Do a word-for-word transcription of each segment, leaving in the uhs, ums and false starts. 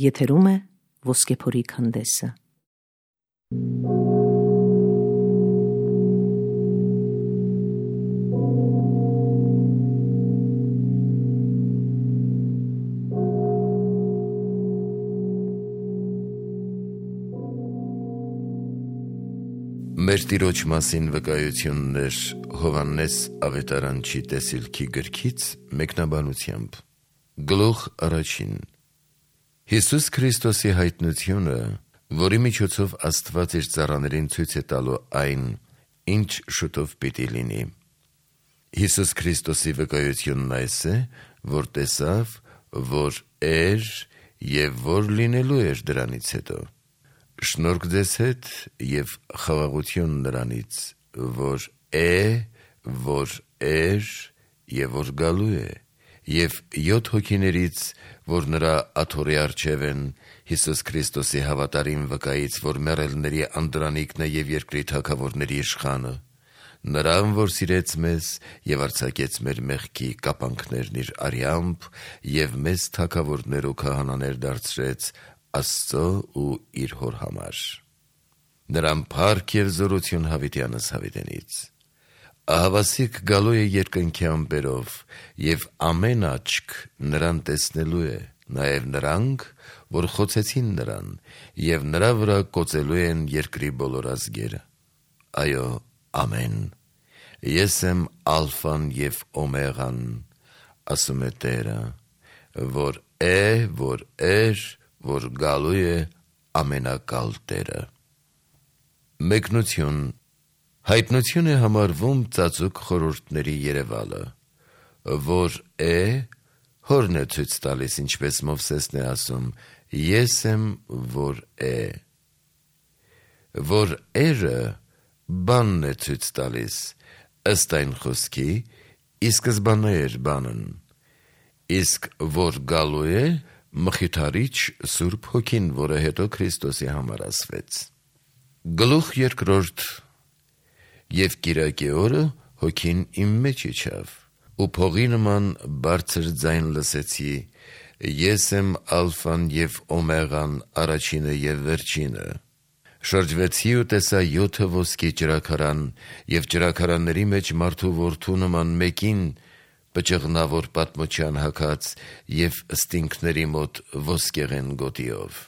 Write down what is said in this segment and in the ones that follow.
Եթերում է Ոսկեփորի քանդեսը։ Մեր Տիրոջ մասին վկայություններ Հովհաննես ավետարանչի տեսիլքի գրքից մեկնաբանությամբ։ Գլուխ առաջին։ Հիսուս Քրիստոսի հայտնությունը, որի միջոցով Աստված իր ծառաներին ցույց է տալու այն, ինչ շուտով պիտի լինի։ Հիսուս Քրիստոսի վկայությունն այս է, որ տեսավ, որ էր և որ լինելու էր դրանից հետո։ Շնորհք ձեզ հետ և խաղաղություն նրանից, որ է, որ էր և որ գալու է, և յոթ հոգիներից, որ նրա աթոռի առջև են, Հիսուս Քրիստոսի հավատարիմ վկայից, որ մեռելների անդրանիկն է և երկրի թագավորների իշխանը, նրան, որ սիրեց մեզ և արձակեց մեր մեղքի կապանքներն իր արյամբ և մեզ թագավորներ ու քահանաներ դարձրեց Աստծո ու իր Հոր համար։ Նրան փառք և զորություն հավիտյանս հավիտենից։ Ահավասիկ գալու է երկնքի ամպերով, և ամեն աչք նրան տեսնելու է, նաև նրանք, որ խոցեցին նրան, և նրա վրա կոծելու են երկրի բոլոր ազգերը։ Այո, ամեն։ Ես եմ ալֆան և օմեղան, ասում է Տերը, որ է, որ էր, որ գալու է ամենակալ Տերը։ Մեկնություն։ Հայտնություն է համարվում ծածուկ խորհուրդների երևալը, որ է, Հորն է ցույց տալիս, ինչպես Մովսեսն է ասում, ես եմ, որ է։ Որ երը բանն է ցույց տալիս, ըստ այն խոսքի, ի սկզբանե էր բանն, իսկ որ գալու է, Մխիթարիչ Սուրբ Հոգին, որը հետո Քրիստոսի համար ասվեց։ Գլուխ երկրորդ։ Եվ կիրակի օրը Հոգին իմ մեջ իջավ, ու փողի նման բարձր ձայն լսեցի. ես եմ ալֆան և օմեղան, առաջինը և վերջինը։ Շրջվեցի ու տեսա յոթը ոսկի ճրագարան, և ճրագարանների մեջ մարդու որդու նման մեկին, պճղնավոր պատմության հագած և ստինքների մոտ ոսկեղեն գոտիով։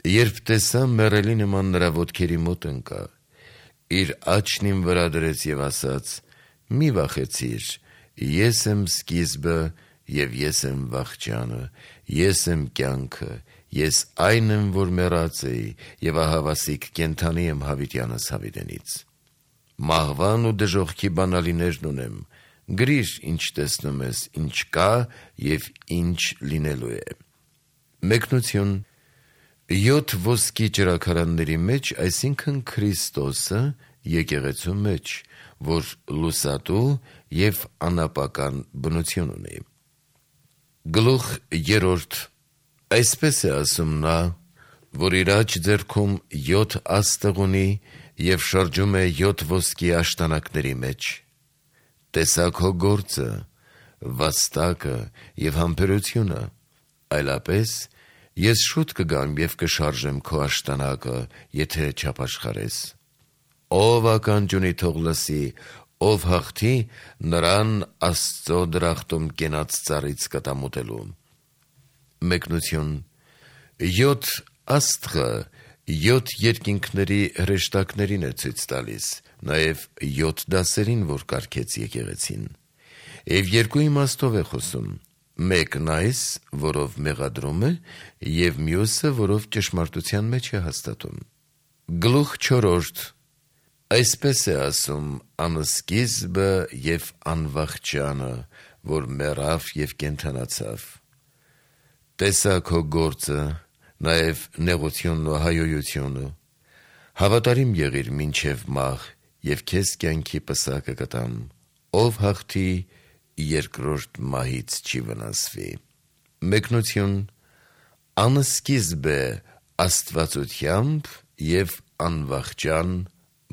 Երբ տեսա, մեռելի նման նրա ոտքերի մոտ ընկա, իր աջն իմ վրա դրեց և ասաց. մի վախեցիր, ես եմ սկիզբը և ես եմ վախճանը, ես եմ կյանքը, ես այն եմ, որ մեռած էի, և ահավասիկ կենդանի եմ հավիտյանս հավիտենից։ Մահվան ու դժոխքի բանալիներն ունեմ, գրիր, ինչ տեսնում ես, ինչ կա և ինչ լինելու է։ Մեկնություն։ Յոթ ոսկի ճրագարանների մեջ, այսինքն Քրիստոսը եկեղեցու մեջ, որ լուսատու և անապական բնություն ունի։ Գլուխ երրորդ։ Այսպես է ասում նա, որ իր աջ ձեռքում յոթ աստղ ունի և շրջում է յոթ ոսկի աշտանակների մեջ։ Տեսա քո գործը, վաստակը և համբերությունը, այլապես ես շուտ կգամ և կշարժեմ քո աշտանակը, եթե չապաշխարես։ Ով ականջ ունի, թող լսի, ով հաղթի, նրան Աստծո դրախտում կենաց ծառից կտամուտելու։ Մեկնություն։ Յոթ աստղը յոթ երկինքների հրեշտակներին է ցույց տալիս, նաև յոթ դասերին, որ կարգեց եկեղեցին։ Եվ երկու իմաստով է խոսում. մեկն այս, որով մեղադրում է, և մյուսը, որով ճշմարտության մեջ է հաստատում։ Գլուխ չորրորդ։ Այսպես է ասում անսկիզբը և անվախճանը, որ մեռավ և կենդանացավ։ Տեսա քո գործը, նաև նեղությունն ու հայոյությունը, հավատարիմ եղիր մինչև մահ, և քեզ կյանքի պսակը կտամ, ով հաղթի, երկրորդ մահից չի վնասվի։ Մեկնություն։ Անսկիզբ է աստվածությամբ և անվախճան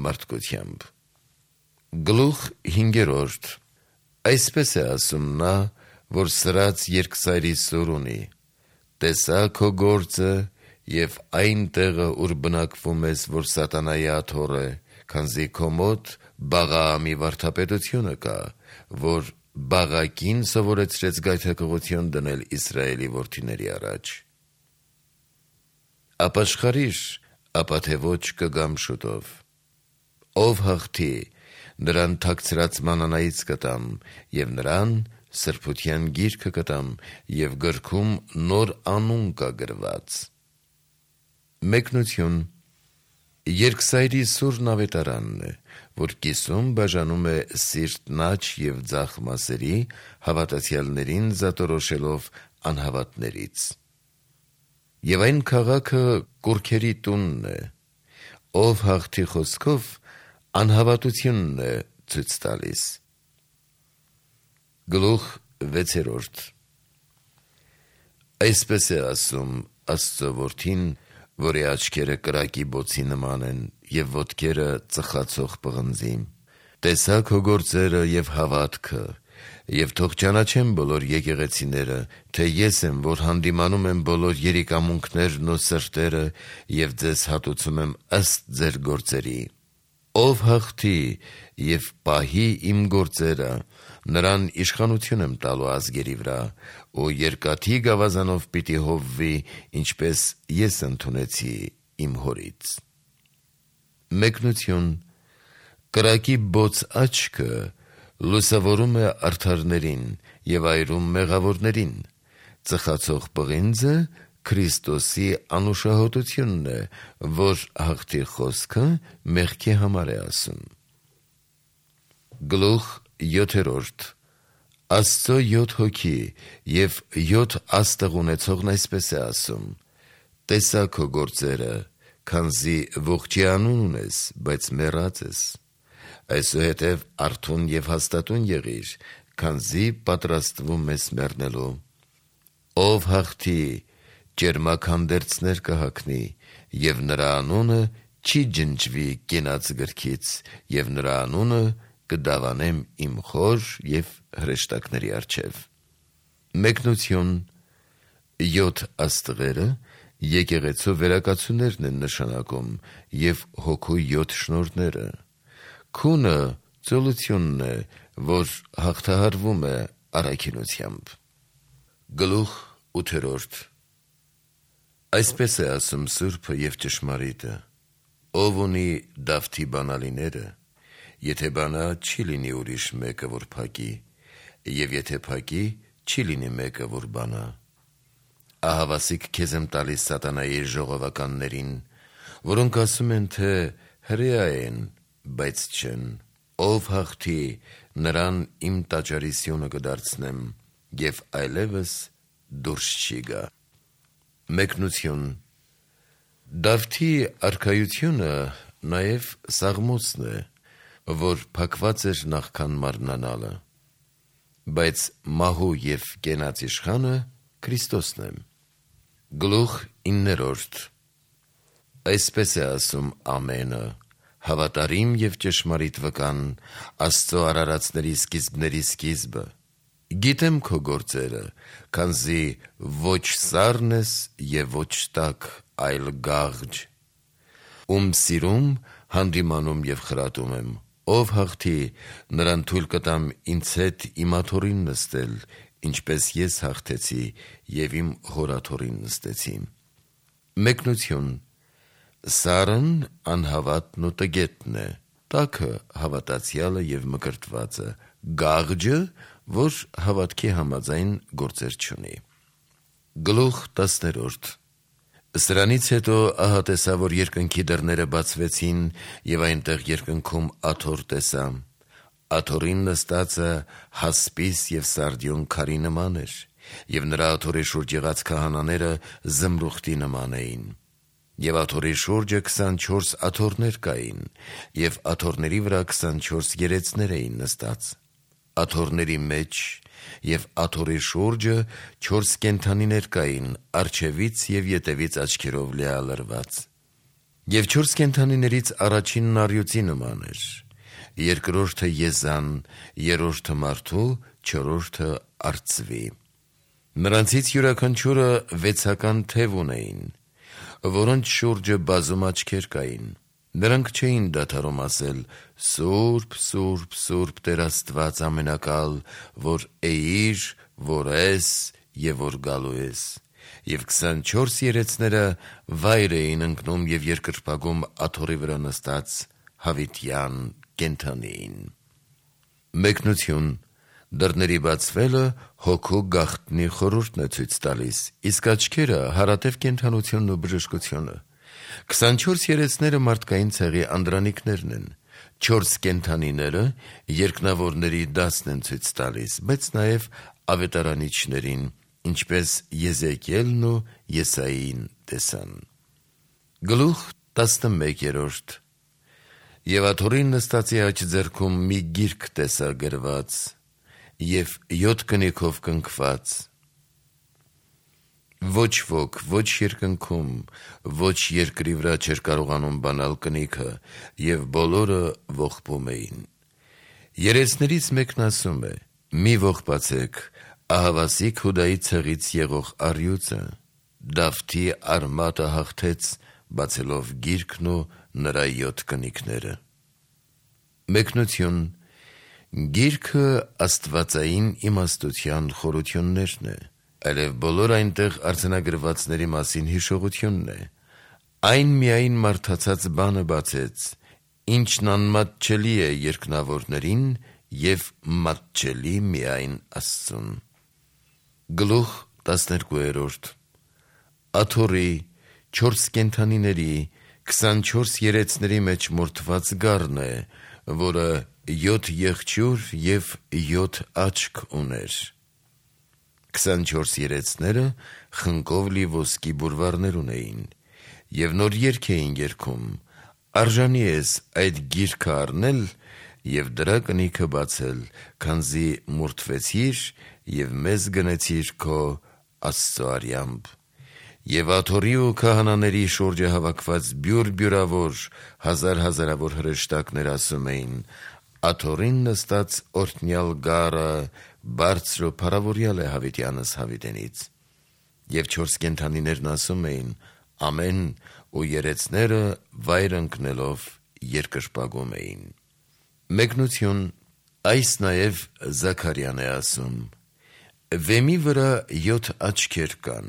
մարդկությամբ։ Գլուխ հինգերորդ։ Այսպես է ասում նա, որ սրած երկսայրի սուր ունի, տեսա քո գործը եւ այն տեղը, ուր բնակվում ես, որ սատանայի աթոռ է, քանզի քո մոտ Բաղաամի վարդապետությունը կա, որ Բաղակին սովորեցրեց գայթակղություն դնել Իսրայելի որդիների առաջ։ Ապաշխարիր, ապա թե ոչ կգամ շուտով։ Ով հաղթի, նրան թաքցրած մանանայից կտամ, եւ նրան սրբության գիրքը կտամ, եւ գրքում նոր անուն կա գրված։ Մեկնություն Երկսայրի սուրն ավետարանն է, որ կիսում բաժանում է սիրտ նաչ եւ ձախ մասերի, հավատացյալներին զատորոշելով անհավատներից։ Եվ այն քաղաքը կուրքերի տունն է, ով հաղթի խոսքով անհավատությունն է ցույց տալիս։ Գլուխ վեցերորդ Այսպես է ասում Աստծո որդին, որի աչքերը կրակի բոցի նման են եւ ոտքերը ծխացող պղնձի։ Տեսա քո գործերը եւ հավատքը, եւ թող ճանաչեմ բոլոր եկեղեցիները, թե ես եմ, որ հանդիմանում եմ բոլոր երիկամունքներն ու սրտերը եւ ձեզ հատուցում եմ ըստ ձեր գործերի։ Ով հաղթի եւ պահի իմ գործերը, նրան իշխանություն եմ տալու ազգերի վրա, ու երկաթի գավազանով պիտի հովվի, ինչպես ես ընդունեցի իմ հորից։ Մեկնություն Կրակի բոց աչքը լուսավորում է արդարներին եւ այրում մեղավորներին, ծխացող պղինձը Քրիստոսի անուշահոտությունն է, որ հաղթի խոսքը մեղքի համար է ասում։ Գլուխ յոթերորդ Աստծո յոթ հոգի եւ յոթ աստղ ունեցողն այսպես է ասում. Տեսա քո գործերը, քանզի ողջի անուն ունես, բայց մեռած ես։ Այսուհետև արթուն եւ հաստատուն եղիր, քանզի պատրաստվում ես մեռնելու։ Ով հաղթի, ջերմաքանդերձներ կհագնի, եւ նրա անունը չի ջնջվի կենաց գրքից, եւ նրա անունը կդավանեմ իմ խոր եւ հրեշտակների առջև։ Մեկնություն Յոթ աստղերը եկեղեցու վերակացուներն են նշանակում եւ հոգու յոթ շնորհները։ Քունը ծոլությունն է, որ հաղթահարվում է առաքինությամբ։ Գլուխ ութերորդ Այսպես է ասում Սուրբը եւ ճշմարիտը. Ով ունի Դավթի բանալիները, եթե բանա չի լինի ուրիշ մեկը, որ փակի, եւ եթե փակի, չի լինի մեկը, որ բանա։ Ահավասիկ քեզ եմ տալիս սատանայի ժողովականներին, որոնք ասում են, թե հրեա են, բայց չեն։ Ով հաղթի, նրան իմ տաճարի սյունը կդարձնեմ, եւ այլևս դուրս չի գա։ Մեկնություն Դավթի արքայությունը նաև Սաղմոսն է, որ փակված էր նախքան մարմնանալը, բայց մահու և կենաց իշխանը Քրիստոսն է։ Գլուխ իններորդ Այսպես է ասում Ամենը, հավատարիմ և ճշմարիտ վկան, Աստծո արարածների սկիզբների սկիզբը։ Գիտեմ քո գործերը, քանզի ոչ սառն ես և ոչ տաք, այլ գաղջ։ Ում սիրում հանդիմանում և խրատում եմ, ով հաղթի, նրան թույլ կտամ ինձ հետ իմ աթոռին նստել, ինչպես ես հաղթեցի և իմ հոր աթոռին նստեցի։ Մեկնություն Սառն անհավատն ու տգետն է, տաքը հավատացյալը և մկրտվածը, գաղջը, որ հավատքի համաձայն գործեր չունի։ Գլուխ տասներորդ Սրանից հետո ահա տեսա, որ երկնքի դռները բացվեցին, եւ այնտեղ երկնքում աթոռ տեսա։ Աթոռին նստածը հասպիս եւ սարդիոն քարի նման էր, եւ նրա աթոռի շուրջ եղած քահանաները զմրուխտի նման էին։ Եվ աթոռի շուրջը քսանչորս աթոռներ կային, եւ աթոռների վրա քսանչորս երեցներ էին նստած։ Աթոռների մեջ եւ աթոռի շուրջը չորս կենդանիներ կային, առջևից եւ ետևից աչքերով լիալրված։ Եվ չորս կենդանիներից առաջինն առյուծի նման էր, երկրորդը եզան, երրորդը մարդու, չորրորդը արծվի։ Նրանցից յուրաքանչյուրը վեցական թև ունեին, որոնց շուրջը բազում աչքեր կային։ Նրանք չէին դադարում ասել. «Սուրբ, Սուրբ, Սուրբ Տեր Աստված ամենակալ, որ էիր, որ ես եւ որ գալու ես»։ Եվ քսանչորս երեցները վայր էին ընկնում եւ երկրպագում աթոռի վրա նստած հավիտյան կենդանիին։ Մեկնություն. դռների բացվելը հոգու գաղտնի խորհուրդն է ցույց տալիս, իսկ աչքերը հարատև կենդանությունն ու բժշկությունը։ քսանչորս երեցները մարդկային ցեղի անդրանիկներն են, չորս կենդանիները երկնավորների դասն են ցույց տալիս, բայց նաև ավետարանիչներին, ինչպես Եզեկիելն ու Եսային տեսան։ Գլուխ տասնմեկ. Եվ աթոռին նստածի աջ ձեռքում մի գիրք տեսա գրված և յոթ կնիքով կնքված. ոչ ոք, ոչ երկնքում, ոչ երկրի վրա չէր կարողանում բանալ կնիքը, և բոլորը ողբում էին։ Երեցներից մեկն ասում է. մի ողբացեք ահավասիկ Հուդայի ցեղից եղող առյուծը, Դավթի արմատը հաղթեց, բացելով գիրքն ու նրա յոթ կնիքները։ Մեկնություն. գիրքը աստվածային իմաստության խորություններն է, այլև բոլոր այնտեղ արձանագրվածների մասին հիշողությունն է։ Այն միայն մարդացած բանը բացեց, ինչն անմատչելի է երկնավորներին և մատչելի միայն Աստծուն։ Գլուխ տասներկու. Աթոռի, չորս կենդանիների, քսանչորս երեցների մեջ մորթված գառն է, որը յոթ եղջյուր և յոթ աչք ուներ։ Քսանչորս երեցները խնկով լի ոսկի բուրվարներ ունեին, և նոր երգ էին երգում. արժանի ես այդ գիրքը առնել և դրա կնիքը բացել, քանզի մորթվեցիր և մեզ գնեցիր քո Աստծո արյամբ։ Եվ աթոռի ու քահանաների շուրջը հավաքված բյուր-բյուրավոր, հազար-հազարավոր հրեշտակներ ասում էին. աթոռին նստած օրհնյալ գառը բարձր ու փառավորյալ է հավիտյանս հավիտենից։ Եվ չորս կենդանիներն ասում էին. ամեն, ու երեցները վայր ընկնելով երկրպագում էին։ Մեկնություն. այս նաև Զաքարյան է ասում. վեմի վրա յոթ աչքեր կան,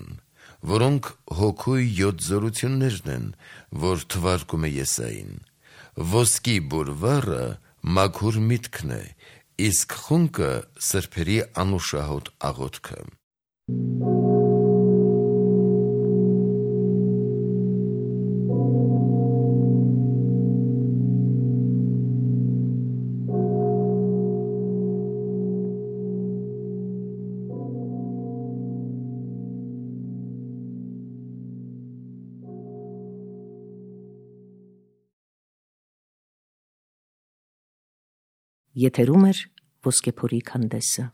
որոնք հոգու յոթ զորություններն են, որ թվարկում է Եսային։ Ոսկի բուրվառը մաքուր միտքն է, իսկ խունկը սրբերի անուշահոտ աղոթքը։ Եթերում է Ոսկեփորի քանդեսը։